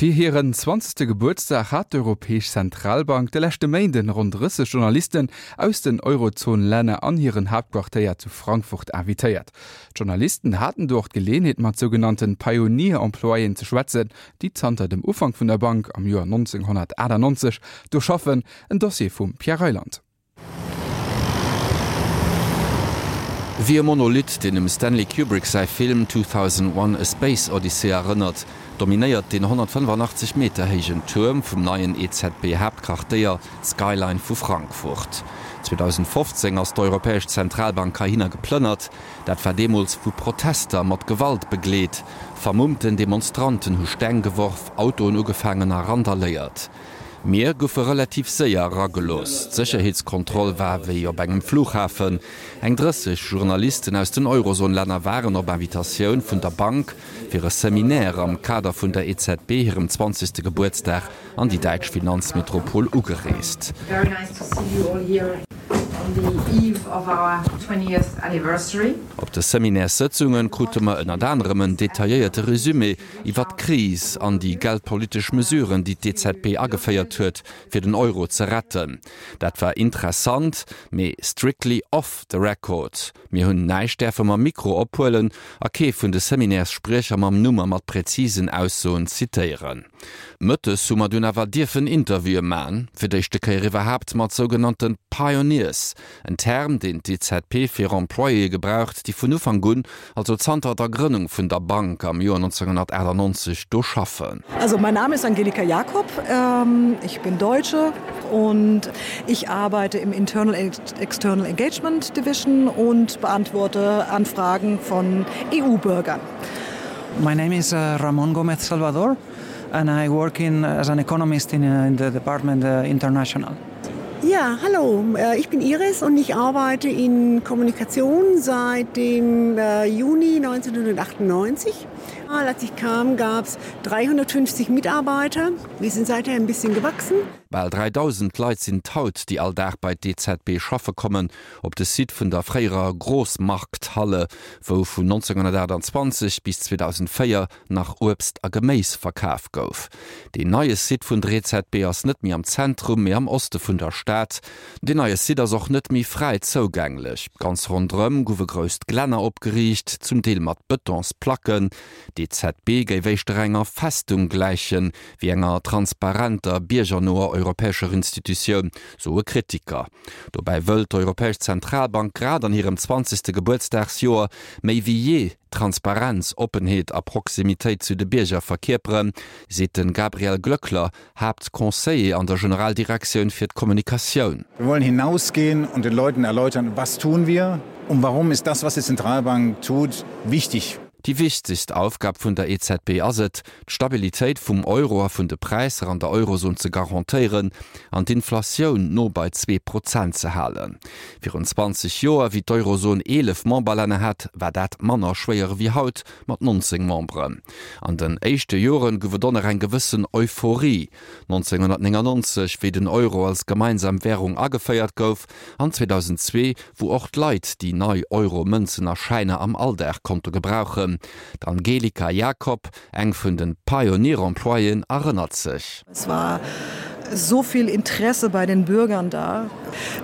Fir hiren zwanzegste Gebuertsdag hat d'Europäesch Zentralbank de leschte Méinden ronn 30 Journalisten aus den Eurozon-Länner an hiren Haaptquartéier zu Frankfurt invitéiert. D'Journalisten haten do och d'Geleeënheet mat sougenannte Pioneer-Employéen ze schwätzen, déi zanter dem Ufank vun der Bank am Joer 1998 do schaffen. En Dossier vum Pierre Reyland. Wéi e Monolith, deen dem Stanley Kubrick säi Film 2001, A Space Odyssey erënnert, dominéiert deen 185 Meter héijen Tuerm vum neien EZB-Haaptquartéier d'Skyline vu Frankfurt. 2015 ass d'Europäesch Zentralbank heihinner geplënnert. Dat war deemools vu Protester mat Gewalt begleet. Vermummten Demonstranten hu Steng geworf, Autoen ugefaangen a randaléiert. Mir goufe relativ séier eragelooss. D'Sécherheetskontroll war wéi op engem Flughafen. Eng 30 Journalisten aus den Eurozon-Länner waren op Invitatioun vun der Bank fir e Seminaire am Kader vun der EZB hirem 20. Gebuertsdag an déi däitsch Finanzmetropol ugereest. Op de Seminärssëtzunge krute mer ënnert anerem en detailléierte Resumé iwwert d'Kris an déi geldpolitesch Mesuren, déi d'EZB ageféiert huet, fir den Euro ze retten. Dat war interessant, mee strictly off the record. Mir hunn näischt däerfe mam Mikro ophuelen a kee vun de Seminärsspriecher mam Numm a mat präzisen Aussoen zitéieren. Mëttes hu mer dunn awer dierfen Interviewe man, fir d'éischte Kéier iwwerhaapt mat sougenannte Pioneers, en Term, deen d'EZB fir Employéë gebraucht, déi vun Ufank un, also zanter der Grënnung vun der Bank am Joer 1998, do schaffen. Also mein Name ist Angelika Jakob, ich bin Deutsche und ich arbeite im Internal External Engagement Division und beantworte Anfragen von EU-Bürgern. My name is Ramon Gomez Salvador and I work in as an economist in in the department international. Ja, hallo, ich bin Iris und ich arbeite in Kommunikation seit dem Juni 1998. Als ich kam, gab es 350 Mitarbeiter. Wir sind seither ein bisschen gewachsen. Bal 3.000 Leit sinn et haut, déi all Dag bei d'EZB schaffe kommen. Op de Site vun der fréierer Großmarkthalle, wou vun 1928 bis 2004 nach Uebst a Geméis verkaf gouf. Deen neie Site vun der EZB ass net méi am Zentrum, mee am Oste vun der Stad. Deen neie Site ass och net méi fräi zougänglech. Ganz ronderëm gouf e grousst Glänner opgeriicht, zum Deel mat Bëtonsplacken. D'EZB géif éischter enger Festung gläichen, wéi enger transparenter, biergernoer europäescher Institutioun, soe Kritiker. Dobäi wëll d'Europäesch Zentralbank grad an hirem zwanzegste Gebuertsdagsjoer méi wéi jee Transparenz, Oppenheet a Proximitéit zu de Bierger verkierperen, seet de Gabriel Glöckler, Haaptconseiller an der Generaldirektioun fir d'Kommunikatioun. Wir wollen hinausgehen und den Leuten erläutern, was tun wir und warum ist das, was die Zentralbank tut, wichtig. Déi wichtegst Aufgab vun der EZB ass et, d'Stabilitéit vum Euro a vun de Präisser an der Eurozon ze garantéieren an d'Inflatioun no bei 2% ze halen. Virun 20 Joer, wéi d'Eurozon 11 Memberlänner hat, war dat manner schwéier ewéi haut mat 19 Memberen. An den éischte Joren gouf et och nach eng gewëssen Euphorie, 1999, wéi den Euro als gemeinsam Wärung ageféiert gouf, an 2002, wou och d'Leit déi nei Euro-Mënzen a Schäiner am Alldag konnte gebrauchen. D'Angelika Jakob, eng vun de Pioneer-Employéen, erënnert sech. Es war so viel Interesse bei den Bürgern da.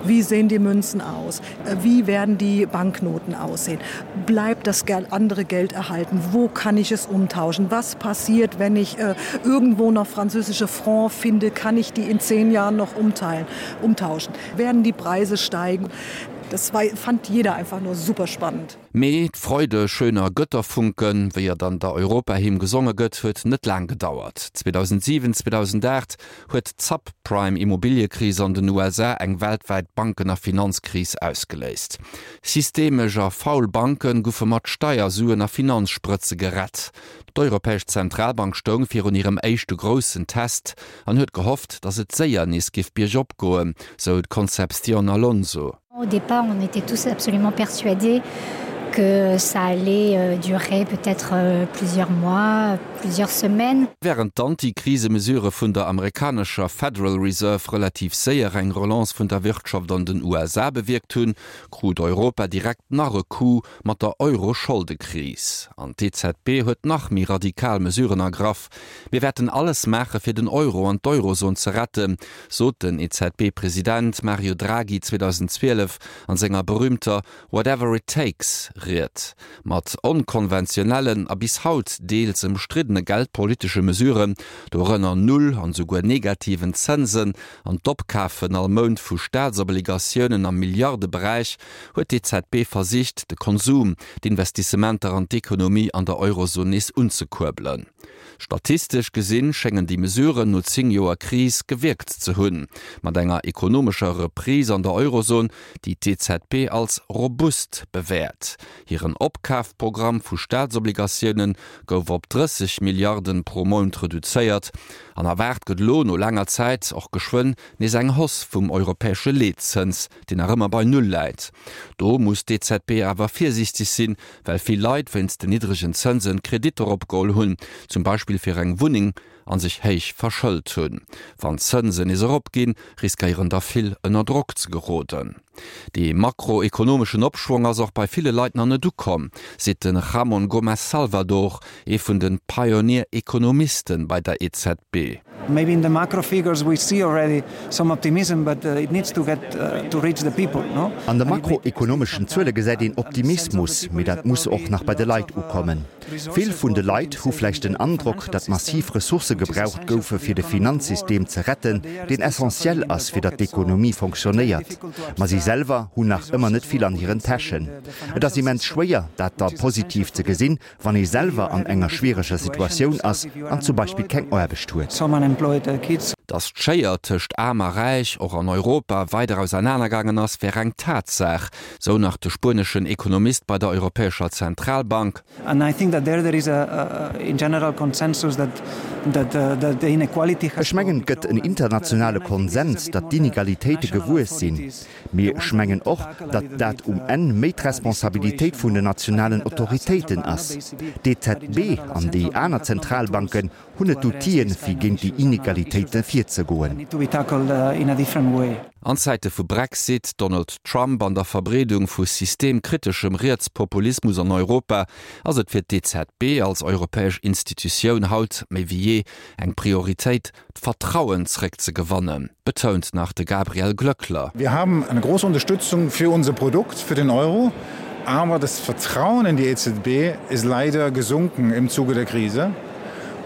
Wie sehen die Münzen aus? Wie werden die Banknoten aussehen? Bleibt das andere Geld erhalten? Wo kann ich es umtauschen? Was passiert, wenn ich äh, irgendwo noch französische Franc finde? Kann ich die in zehn Jahren noch umteilen, umtauschen? Werden die Preise steigen? Das war, fand jeder einfach nur super spannend. Mee d'Freude schöner Götterfunken, wéi et an der Europahymn gesonge gëtt, huet net laang gedauert. 2007, 2008 huet d'Subprime-Immobiliëkris an den USA eng weltwäit Banken a Finanzkris ausgeléist. Systemesch a faul Banke goufe mat Steiersuen a Finanzsprëtze gerett. D'Europäesch Zentralbank stoung virun hirem éischte groussen Test an huet gehofft, datt et séier nees géif biergop goen, sou d'Concepción Alonso. Au départ, on était tous absolument persuadés. que ça allait euh, durer peut-être euh, plusieurs mois, plusieurs semaines. Wärend d'Antikrisemesurë vun der amerikanescher Federal Reserve relativ séier eng Relance vun der Wirtschaft an den USA bewierkt hunn, krut Europa direkt nach e Coup mat der Euro-Scholdekris. An d'EZB huet nach méi radikal Mesuren ergraff. Mir wäerten alles maache fir den Euro an d'Eurozon ze retten, sot den EZB-President Mario Draghi 2012 an senger berüümter Whatever it takes Ried. Mat onkonventionellen a bis haut deels ëmstriddene geldpolitesche Mesuren, dorënner Null an esouguer negativen Zënsen an d'Opkafen all Mount vu Staatsobligatiounen am Milliardeberäich, huet d'EZB versicht, de Konsum, d'Investissementer an d'Ekonomie an der Eurozon nees unzekuerbelen. Statistesch gesinn schéngen déi Mesuren no 10 Joer Kris gewierkt ze hunn, mat enger ekonomescher Reprise an der Eurozon, déi d'EZB als robust bewäert. Hiren Opkafprogramm vu Staatsobligatioune gouf op 30 Milliarden pro Mount reduzéiert an erwaart gëtt elo no laanger Zäit och geschwënn nees eng Hausse vum europäesche Leetzëns, deen nach ëmmer bei Null läit. Do muss d'EZB awer virsiichteg sinn, well vill Leit wéinst den niddregen Zënsen Kreditter opgeholl hunn, zum Beispill fir eng Wunneng, a sech héich verschëlt hunn. Wann d'Zënsen nees eropginn, riskéieren der vill ënner Drock ze geroden. Dee makroekonomeschen Opschwong ass och bei ville Leit nach net ukomm, seet de Ramon Gomez Salvador, ee vun de Pioneer-Ekonomiste bei der EZB. Maybe in the macro figures we see already some optimism, but it needs to get to reach the people, no? An de makroekonomeschen Zuele gesäit een Optimismus, mee dat muss och nach bei de Leit ukommen. Vill vun de Leit hu vläicht den Androck, datt massiv Ressourcë gebraucht goufe fir de Finanzsystem ze retten, deen essentiell ass fir datt d'Ekonomie fonctionnéiert. Ma si selwer hunn nach ëmmer net vill an hiren Täschen. Et ass immens schwéier, dat da positiv ze gesinn, wann ee selwer an enger schwiereger Situatioun ass an zum Beispill keng Aarbecht huet. Datt d'Schéier tëscht Aarm a Räich och an Europa weider ausernanergaangen ass, wär eng Tatsaach, sou nach de spueneschen Ekonomist bei der Europäescher Zentralbank. Ech mengen, et gëtt en internationale Konsens, datt d'Inegalitéite gewuess sinn. Mee ech mengen och, datt dat um Enn méi d'Responsabilitéit vun den nationalen Autoritéiten ass. D'EZB an déi aner Zentralbanken hunn net d'Outill'en, fir géint déi Inegalitéite virzegoen. An Zäite vu Brexit, Donald Trump an der Verbreedung vu systemkriteschem Rietspopulismus an Europa ass et fir d'EZB als europäesch Institutioun haut méi wéi jee eng Prioritéit, d'Vertrauen zréckzegewannen, betount nach de Gabriel Glöckler. Wir haben eine große Unterstützung für unser Produkt, für den Euro, aber das Vertrauen in die EZB ist leider gesunken im Zuge der Krise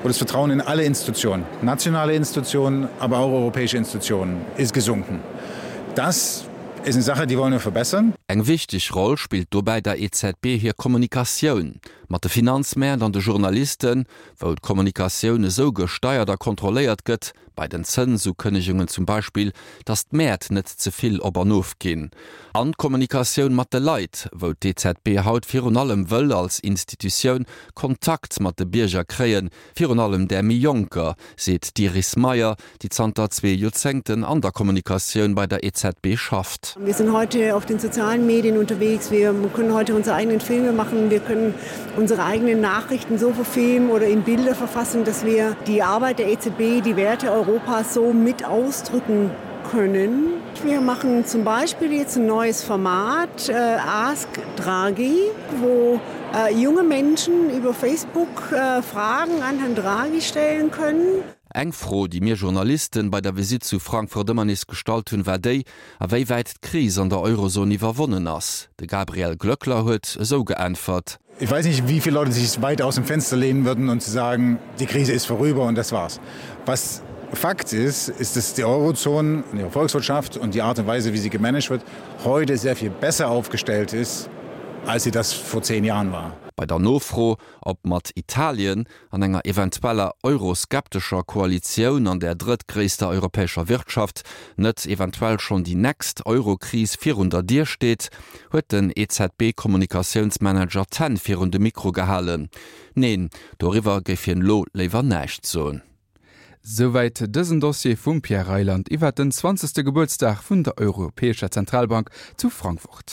und das Vertrauen in alle Institutionen, nationale Institutionen, aber auch europäische Institutionen ist gesunken. Das ist eine Sache, die wollen wir verbessern. Eng wichteg Roll spillt dobäi der EZB hir Kommunikatioun mat de Finanzmäert an de Journalisten, wou d'Kommunikatioun esou gesteiert a kontrolléiert gëtt, bei den Zënsukënnegungen zum Beispill, datt d'Mäert net ze vill op an of ginn, an d'Kommunikatioun mat de Leit, wou d'EZB haut virun allem wëll als Institutioun Kontakt mat de Bierger kréien, virun allem där méi Jonker, seet d'Iris Meyer, déi zanter zwee Joerzéngten an der Kommunikatioun bei der EZB schafft. Wir sind heute auf den sozialen Medien unterwegs, wir können heute unsere eigenen Filme machen, wir können unsere eigenen Nachrichten so verfilmen oder in Bilder verfassen, dass wir die Arbeit der EZB, die Werte Europas so mit ausdrücken können. Wir machen zum Beispiel jetzt ein neues Format äh, Ask Draghi, wo äh, junge Menschen über Facebook äh, Fragen an Herrn Draghi stellen können. Eng Fro, déi mir Journalisten bei der Visitt zu Frankfurt ëmmer nees gestallt hunn, war déi, a wéi wäit d'Kris an der Eurozon iwwerwonnen ass. De Gabriel Glöckler huet esou geäntwert. Ich weiß nicht, wie viele Leute sich weit aus dem Fenster lehnen würden und zu sagen, die Krise ist vorüber und das war's. Was Fakt ist, ist, dass die Eurozone, ihre Volkswirtschaft und die Art und Weise, wie sie gemanagt wird, heute sehr viel besser aufgestellt ist, als sie das vor zehn Jahren war. Bei der Nofro, ob mat Italien an enger eventueller euroskeptescher Koalitioun an der drëttgréisster europäescher Wirtschaft net eventuell schonn déi next Eurokris virun der Dier steet, huet den EZB-Kommunikatiounsmanager d'Hänn virun de Mikro gehalen. Neen, doriwwer géif hien elo léiwer näischt soen. Souwäit dësen Dossier vum Pierre Reyland iwwert den 20. Gebuertsdag vun der Europäescher Zentralbank zu Frankfurt.